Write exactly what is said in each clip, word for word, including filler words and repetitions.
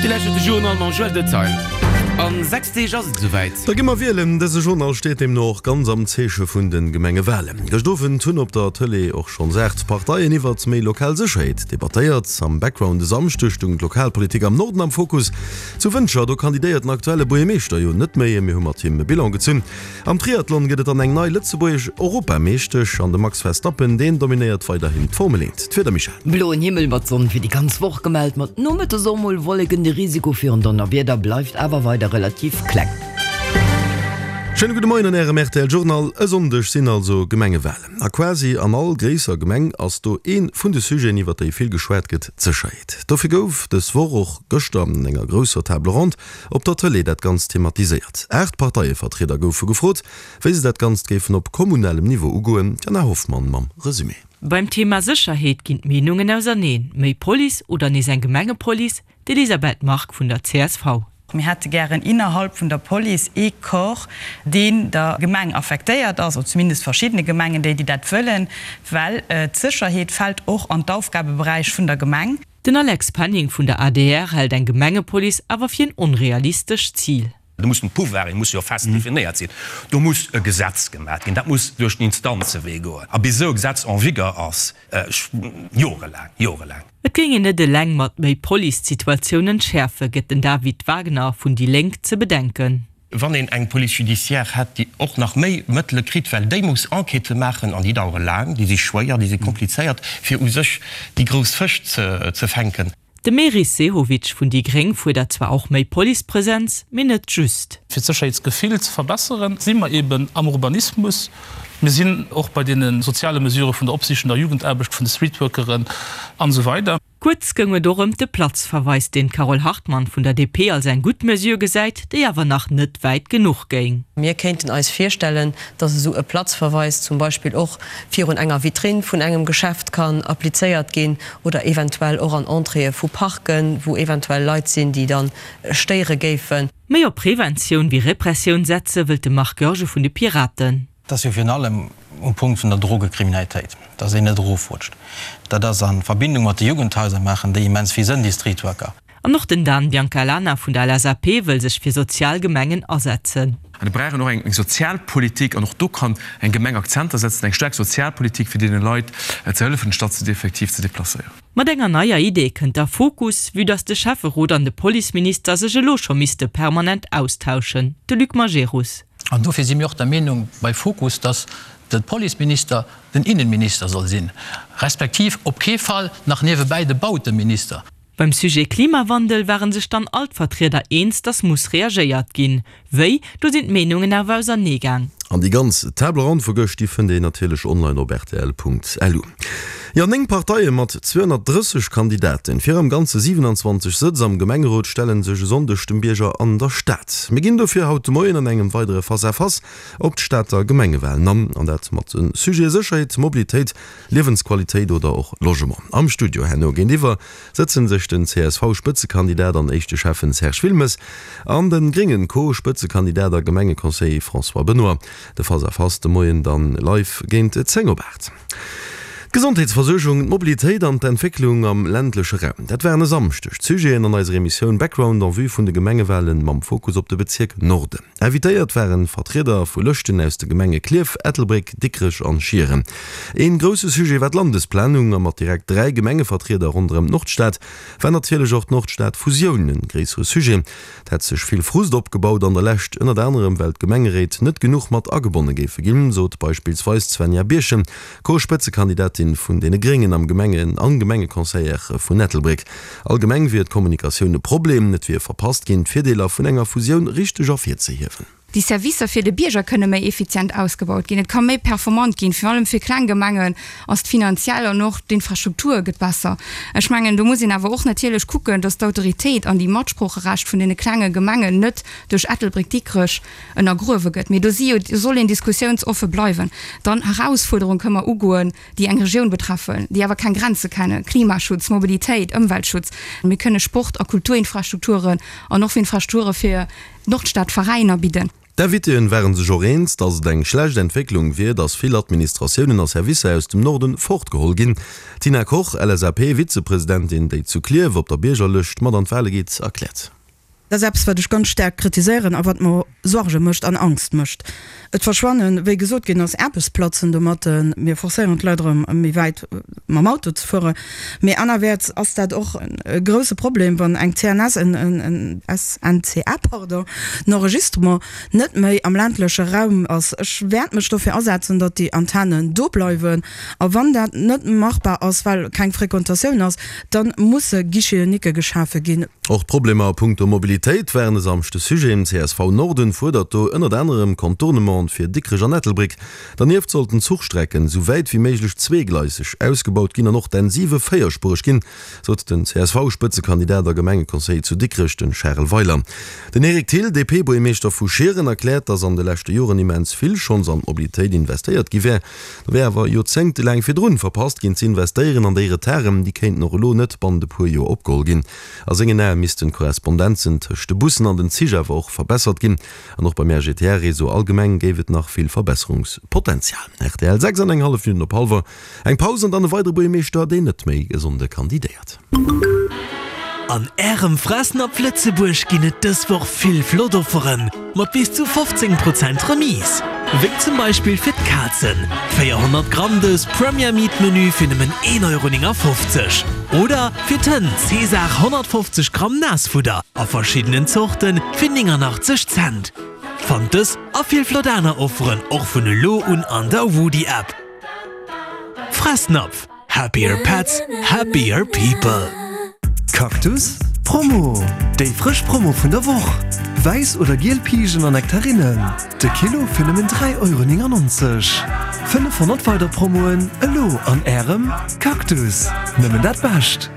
Dir lauschtert de Journal mam Joël Detail. An sechs Deeg ass et esouwäit. Da gi mer wielen. Dëse Journal steet deemno och ganz am Zeeche vun de Gemengewalen. Gëscht Owend hunn op der Tëlee och schonns aacht Parteien iwwert méi lokal Sécherheet debattéiert. Am Background e Samschdeg stoung d'Lokalpolitik am Norden am Fokus. Zu Wëntger, do kandidéiert den aktuelle Buergermeeschter jo net méi. Mir hu mat him e Bilan gezunn. Am Triathlon gëtt et dann eng nei lëtzebuergesch Europameeschtesch an de Max Verstappen, deen dominéiert weiderhin d'Formel eent. D'Wieder, Michèle? Bloen Himmel mat Sonn fir déi ganz Woch gemellt, mat nomëttes och mol Wolleken. De Risiko fir en Donnerwieder bleift awer weider relativ kleng. Schéine gudde Moien an Ärem rtl Journal. E Sonndeg sinn also Gemengewalen. A quasi an all gréisser Gemeng ass do ee vun de Sujeten, iwwer déi vill geschwat gëtt, d'Sécherheet. Dofir gouf dës Woch och gëschter an enger grousser Table ronde op der Tëlee dat Ganzt thematiséiert. Aacht Parteievertrieder goufe gefrot, wéi se dat Ganzt géifen op kommunalem Niveau ugoen. D'Jana Hoffmann mam Resumé. Beim Thema Sécherheet ginn d'Meenungen auserneen. Méi Police oder nees eng Gemengepolice? D'Elisabeth Margue vun der csv. Mir hätte gären innerhalb vun der Police ee Corps, deen der Gemeng affektéiert ass, oder zumindest verschiddene Gemengen, déi, déi dat wëllen, well d'Sécherheet fält och an d'Aufgabeberäich vun der Gemeng. Den Alex Penning vun der adr hält eng Gemengepolice awer fir en onrealistescht Zil. Do mussen d'Pouvoiren musse jo fest definéiert sinn. Do muss e Gesetz gemaat ginn. Dat muss duerch den Instanzewee goen. A bis esou e Gesetz en vigueur ass, jorelaang, jorelaang. Et géing een net eleng mat méi Police d'Situatioun entschäerfen, gëtt den David Wagner vun déi Lénk ze bedenken. Wann een eng Police judiciaire hätt, déi och nach méi Mëttele kritt, well déi muss Enquêtë maachen an déi dauere laang, déi si schwéier, déi si komplizéiert, fir u sech déi grouss Fësch ze fänken. De Meris Sehovic vun déi gréng fuerdert zwar och méi Policepresenz, mee net just. Fir d'Sécherheetsgefill ze verbesseren, si mer eben am Urbanismus, mir sinn och bei deene soziale Mesurë vun der opsichender Jugendaarbecht, vun de Streetworkeren an esou weider. Kuerz goung et och ëm de Platzverweis, deen d'Carole Hartmann vun der D P als eng gutt Mesure gesäit, déi awer nach net wäit genuch géing. Mir kéinten eis virstellen, dass esou e Platzverweis zum Beispill och virun enger Vitrinn vun engem Geschäft kann applizéiert ginn oder eventuell och an Entréeë vu Parken, wou eventuell Leit sinn, déi da stéiere géifen. Méi op Preventioun wéi Repressioun setze wëllt de Marc Goergen vun de Piraten. Et ass jo virun allem um Punkt vun der Drogekriminalitéit, dass een net erofrutscht. Dat ass a Verbindung mat de Jugendhaiser, maachen déi immens vill Sënn, déi Streetworker. An och den Dan Biancalana vun der L S A P wëll sech fir sozial Gemengen asetzen. An mir brauchen och eng Sozialpolitik an och do kann eng Gemeng Akzenter setzen, eng staark Sozialpolitik, fir deene Leit ze hëllefen, statt se effektiv ze deplacéieren. Mat enger neier Idee kënnt da Fokus, vue dass de Schäfferot an de Policeminister sech elo scho misste permanent austauschen, de Luc Majerus. An dofir si mir och der Meenung bei Fokus, dass de Policeminister den Innenminister soll sinn, respektiv op kee Fall nach niewebäi de Bauteminister. Beim Sujet Klimawandel ware sech dann all d'Vertrieder eens, dass muss reagéiert ginn. Wéi, do sinn d'Meenungen awer auserneegaang. An déi ganz Table ronde vu gëscht, déi fënnt een natierlech online op rtl Punkt L U. Jo, néng Parteie mat zweehonnertdrësseg Kandidaten fir am Ganze siwenanzwanzeg Sëtz am Gemengerot stelle sech e Sonndeg dem Bierger an der Stad. Mir ginn dofir haut de Moien an engem weidere Face-à-Face op d'Stater Gemengewalen an, an dat mat de Sujete Sécherheet, Mobilitéit, Liewensqualitéit oder och Logement. Am Studio herno géintiwwer sëtzen sech den C S V-Spëtzekandidat an éischte Schäffen Serge Wilmes an de gréngen Co-Spëtzekandidat a Gemengeconseiller François Benoy. De Face-à-Face de Moien dann live géint zéng op aacht. D'Gesondheetsversuergung, d'Mobilitéit an d'Entwécklung am ländleche Raum, dat waren e Samschdeg d'Sujeten an eiser Emissioun Background en vue vun de Gemengewalen mam Fokus op de Bezierk Norden. Invitéiert waren Vertrieder vu Lëschten aus de Gemenge Klierf, Ettelbréck, Dikrech an Schieren. Een grousse Sujet war d'Landesplanung a mat direkt dräi Gemengevertrieder ronderëm d'Nordstad war natierlech och d'Nordstad-Fusioun en gréissere Sujet. Et hätt sech vill Frust opgebaut an der Lescht, ënnert anerem well d'Gemengeréit net genuch mat agebonne géife ginn, sot beispillsweis d'Svenja Birchen, Co-Spëtzekandidatin vun deene Gréngen am Gemengen an Gemengeconseillère vun Ettelbréck. Allgemeng wier d'Kommunikatioun e Problem, et wier verpasst ginn, d'Virdeeler vun enger Fusioun richteg ervirzehiewen. Déi Servicer fir de Bierger kënne méi effizient ausgebaut ginn, et ka méi performant ginn, virun allem fir kleng Gemengen ass d'finanziell an och d'Infrastruktur gëtt besser. Ech mengen, do muss een awer och natierlech kucken, dass d'Autoritéit an déi Matsproocherecht vun deene klenge Gemengen net duerch Ettelbréck-Dikrech ënnergruewe gëtt. Mee do si jo, do soll een diskussiounsoffe bleiwen. Dann Erausfuerderung kënne mer ugoen, déi eng Regioun betreffen, déi awer keng Grenze kennen, Klimaschutz, Mobilitéit, Ëmweltschutz. Mir kënne Sport a Kulturinfrastrukturen an och Infrastrukture fir Nordstadveräiner bidden. D'Invitéen ware sech och eens, datt et eng schlecht Entwécklung wier, datt vill Administratiounen a Servicer aus dem Norden fortgeholl ginn. D'Tina Koch, LSAP-Vizepresidentin, déi zu Klierf op der Biergerlëscht mat an d'Wale geet, erkläert. Dat ass eppes, wat ech ganz staark kritiséieren a wat mer Sorge mécht an Angst mécht. Et verschwannen, wéi gesot ginn ass, Aarbechtsplazen domatten. Mir forcéieren d'Leit erëm, méi wäit mam Auto ze fueren. Mee anerwäerts ass dat och e grouse Problem, wann eng C N S, en S N C A, pardon, en Enregistrement net méi am ländleche Raum ass. Ech wäert mech dofir asetzen, datt déi Antennen do bleiwen. A wann dat net machbar ass, well keng Frequentatioun ass, da musse Guichets uniques geschafe ginn. Och d'Problemer a punkto Mobilitéit waren e Samschde Sujet. C S V Norden fuerdert do ënnert anerem Contournementen fir Dikrech an Ettelbréck. Dernieft sollten d'Zuchstrecken esou wäit wéi méiglech zweegleiseg ausgebaut ginn an och d'N siwe véierspuereg ginn, sot den C S V-Spëtzekandidat a Gemengeconseiller zu Dikrech, de Charel Weiler. Den Eric Thill, D P-Buergermeeschter vu Schieren, erkläert, datt an de leschte Joren immens vill schonns an d'Mobilitéit investéiert gi wär. Do wär awer joerzéngtelaang virdrun verpasst ginn ze investéieren an déi Retarden, déi kéinten och elo net bannent e puer Joer opgeholl ginn. A sengen Ae missten d'Korrespondenzen tëscht de Bussen an den Zich awer och verbessert ginn. An och beim R G T R-Réseau allgemeng géif et nach vill Verbesserungspotenzial. R T L, sechs an eng hallef Minutten op hallwer. Eng Paus an dann e weidere Buergermeeschter, deen net méi e Sonnde kandidéiert. An Ärem Fressnapf Lëtzebuerg ginn et dës Woch vill flott Offeren mat bis zu fofzéng Prozent Remise. Wéi zum Beispill fir d'Kazen, véierhonnert Gramm dës Premier Meat Menü fir nëmmen een Euro néngafofzeg. Oder fir d'Hënn Cesar honnertfofzeg Gramm Naassfudder a verschiddenen Zorten fir nénganachtzeg Cent. Fannt dës a vill flott aner Offeren och vun elo un an der Woody App. Fressnapf, happier pets, happier people. Cactus Promo! Déi frësch Promo vun der Woch! Wäiss oder giel Pijen an Nektarinnen, de Kilo fir nëmmen dräi Euro néngannonzeg. fënnefhonnert weider Promoen elo an Ärem Cactus! Nëmmen dat Bescht!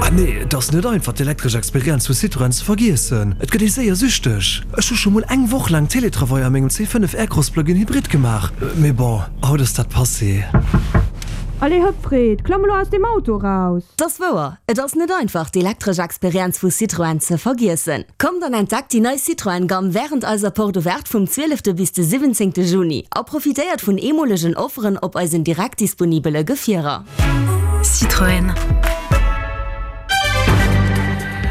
Ah nee, et ass net einfach d'elektresch Experienz vu Citroën ze vergiessen. Et gëtt ee séier süchteg. Ech hu scho mol eng Woch laang Teletravail a mengem C fënnef Aircross Plug-in Hybrid gemaach. Mee bon, haut ass dat passé. Allez hëpp Fred, klamm elo aus dem Auto raus! 't ass wouer, et ass net einfach d'elektresch Experienz vu Citroën ze vergiessen. Kommt an entdeckt déi nei Citroën Gamme wärend eiser Porte Ouverte vum zwielefte bis de siwwenzéngte Juni a profitéiert vun eemolegen Offeren op eisen direkt disponibele Gefierer. Citroën.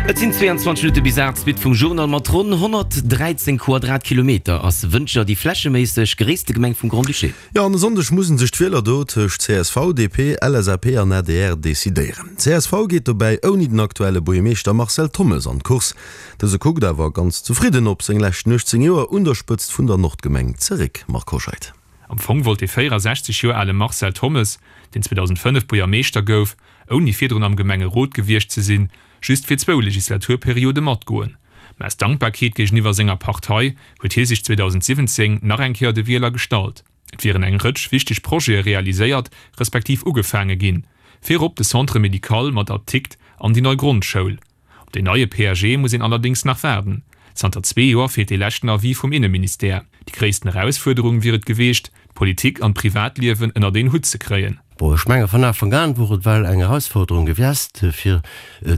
Et sinn zweeanzwanzeg Minutte bis aacht. D'Suite vum Journal. Mat ronn honnertdräizéng Quadratkilometer ass Wëntger déi flächeméisseg gréisste Gemeng vum Grand-Duché. Jo, an e Sonndeg musse sech d'Wieler do tëscht C S V, D P, L S A P an A D R decidéieren. C S V geet dobäi ouni den aktuelle Buergermeeschter Marcel Thommes an d'Course. Dëse kuckt awer ganz zefridden op seng leschten uechtzéng Joer un der Spëtzt vun der Nordgemeng zeréck. Marc Hoscheid. Am Fong wollt de véierasechzeg Joer ale Marcel Thommes, deen zweedausendfënnef Buergermeeschter gouf, ouni virdrun am Gemengerot gewiescht ze sinn, just fir zwou Legislaturperiode matgoen. Mä aus Dankbarkeet géigeniwwer senger Partei huet hie sech zweedausendsiwwenzéng nach eng Kéier de Wieler gestallt. Et wieren eng Rëtsch wichteg Projete realiséiert, respektiv ugefaange ginn. Virop de Centre médical mat Apdikt an déi nei Grondschoul. Op den neie P A G muss een allerdéngs nach waarden. Zanter zwee Joer feelt de leschten Avis vum Inneministère. Déi gréissten Erausfuerderung wier et gewiescht, d'Politik an d'Privatliewen ënnert een Hutt ze kréien. Bon, ech menge vun Ufank an wor et well eng Erausfuerderung gewiescht fir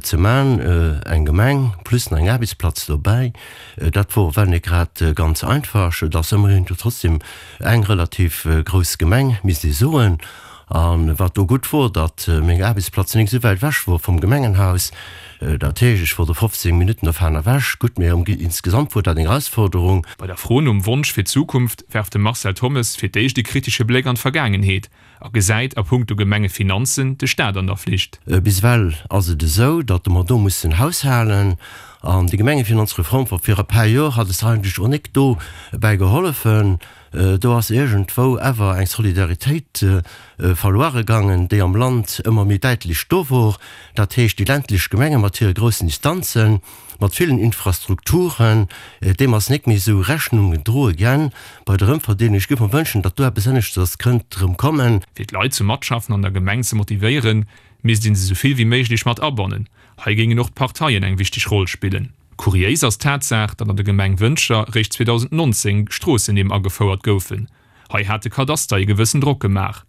ze man, eng Gemeng plus nach eng Aarbechtsplaz dobäi. Dat wor well net grad ganz einfach. Et ass ëmmerhin jo trotzdem eng relativ grouss Gemeng, misst ee soen. A wat do gutt wor, datt meng Aarbechtsplaz nik esou wäit ewech wor vum Gemengenhaus. Dat heescht, ech wor do fofzéng Minutten dovun ewech. Gutt, mee insgesamt wor dat eng Erausforderung. Bei der Fro nom Wonsch fir d'Zukunft werft de Marcel Thommes fir d'éischt e kritesche Bléck an d'Vergaangenheet a gesäit a punkto Gemengefinanzen de Staat an der Flicht. Bis ewell ass et esou, datt mer do mussen haushalen. An déi Gemengefinanzreform vu vir e paar Joer hat eis eigentlech och nik do bäi geholfen. Do ass iergendwou awer eng Solidaritéit verluere gaangen, déi am Land ëmmer méi däitlech do wor. Dat heescht, déi ländlech Gemenge mat hire groussen Distanzen, mat villen Infrastrukturen, deem ass nik méi esou Rechnung gedroe ginn bei der Ëmverdeelung. Ech géif mer wënschen, datt do eppes aneschters kënnt erëm kommen. Fir d'Leit zum Matschaffen an der Gemeng ze motivéieren, misst een se esou vill wéi méiglech mat abannen. Hei géingen och d'Parteien eng wichteg Roll spillen. Kuriéis ass d'Tatsaach, datt an der Gemeng Wëntger réischt zweedausendnonzéng Stroossennimm agefouert goufen. Hei hat de Kadaster e gewëssen Drock gemaach.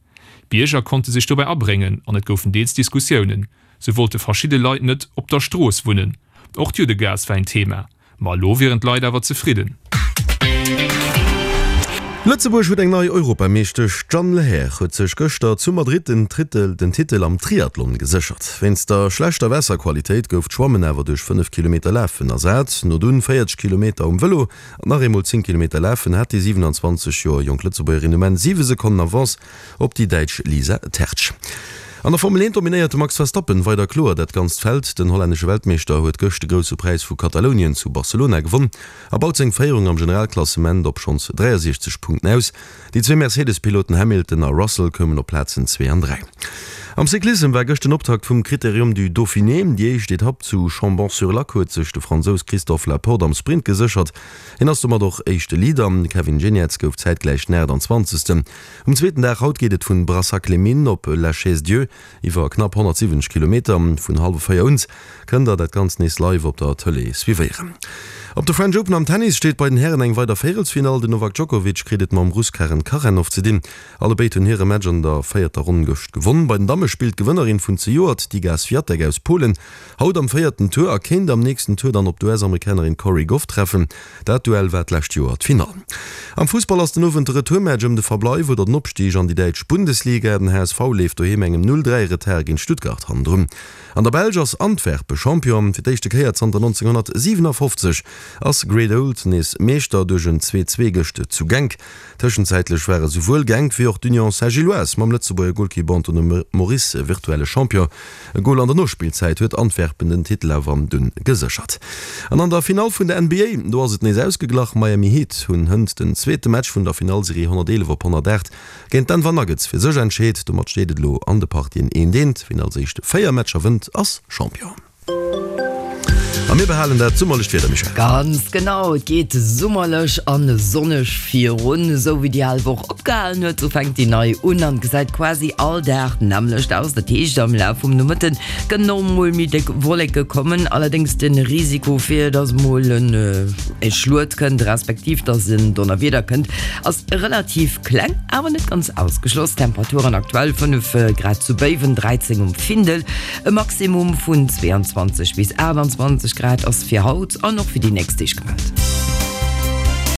D'Bierger konnte sech dobäi abréngen an et goufen deels Diskussiounen. Sou wollte verschidde Leit net op der Strooss wunnen. Och d'Juddegaass war en Thema. Ma elo wieren d'Leit awer zefridden. Lëtzebuerg huet eng nei Europameeschtesch, D'Jeanne Lehair huet sech gëschter zu Madrid den Tritel den Titel am Triathlon geséchert. Wéinst der schlechter Waasserqualitéit gouf d'Schwammen awer duerch fënnef Kilometer Lafen ersat. No dunn véierzeg Kilometer um Vëlo an nach eemol zéng Kilometer Lafen hat déi siwenanzwanzeg Joer jonk Lëtzebuergerin um Enn siwe Sekonnen Avance op déi Däitsch Lisa Tertsch. An der Formel eent dominéiert de Max Verstappen weider kloer dat ganzt Feld. Den hollännesche Weltmeeschter huet gëscht de Grousse Präis vu Katalounien zu Barcelona gewonn a baut seng Féierung am Generalklassement op schonns dräiasiechzeg Punkten aus. Déi zwee Mercedes-Piloten Hamilton a Russell koumen op Plazen zwee an dräi. Am Cyclissem war gëscht den Optakt vum Critérium du Dauphiné. Déi éischt Etapp zu Chambon-sur-Lac huet sech de Fransous Christophe Laporte am Sprint geséchert. Hien ass domat och éischte Leader. De Kevin Geniets gouf zäitgläich den aachtanzwanzegsten. Um zweeten Dag haut geet et vun Brassac-les-Mines op La Chaise-Dieu iwwer knapp honnertsiwwenzeg Kilometer. Vun hallwer véier un kënnt der dat Ganzt nees live op der Tëlee suivéieren. Op de French Open am Tennis steet bei den Hären eng weider Véierelsfinall. Den Novak Djokovic kritt et mam Russ Karen Khachanov ze dinn. Allebéid hunn hire Match an der véierter Ronn gëscht gewonn. Bei den Damme spillt d'Gewënnerin vun zejoert, d'Iga Swiatek aus Polen, haut am véierten Tour a kéint am nächsten Tour dann op d'U S-Amerikanerin Cori Gauff treffen. Dat Duell war d'lescht Joer d'Finall. Am Fussball ass den Owend de Retourmatch ëm de Verbleif oder den Opstig an déi däitsch Bundesliga. Den H S V leeft doheem engem null dräi Retard géint Stuttgart hannendrun. An der Belsch ass Antwerpen Champion. Fir d'éischte Kéier zanter nonzénghonnertsiwenafofzeg ass Great Old nees Meeschter duerch en zwee zwee gëscht zu Genk. Tëschenzäitlech ware souwuel Genk wéi och d'Union Saint-Gilloise mam Lëtzebuerger Golkipp Anthony Moris virtuelle Champion. E Gol an der Nospillzäit huet Antwerpen den Titel awer dunn geséchert. An an der Finall vun der N B A, do ass et nees ausgeglach. Miami Heat hunn hënt den zweete Match vun der Finallserie honnerteelef op honnertaacht géint d'Denver Nuggets fir sech entscheet. Domat steet et elo an de Partien eent eent. Wien als éischt véier Matcher wënnt, ass Champion. A mir behalen dat summerlecht Wieder, Michèle. Ganz genau, et geet summerlech an sonneg virun. Esou wéi déi al Woch opgehalen huet, sou fänkt déi nei un an gesäit quasi all Dag d'nämmlecht aus. Dat heescht, am Laf vum Nomëtte kënnen och mol méi déck Wolleke kommen, allerdéngs de Risiko fir dass mol en Schluet kënnt, respektiv dass en Donnerwieder kënnt, ass relativ kleng, awer net ganz ausgeschloss. Temperaturen aktuell fënnef Grad zu Béiwen, dräizéng um Findel, e Maximum vun zweeanzwanzeg bis aachtanzwanzeg Grad ass fir haut an och fir déi nächst Deeg gemellt.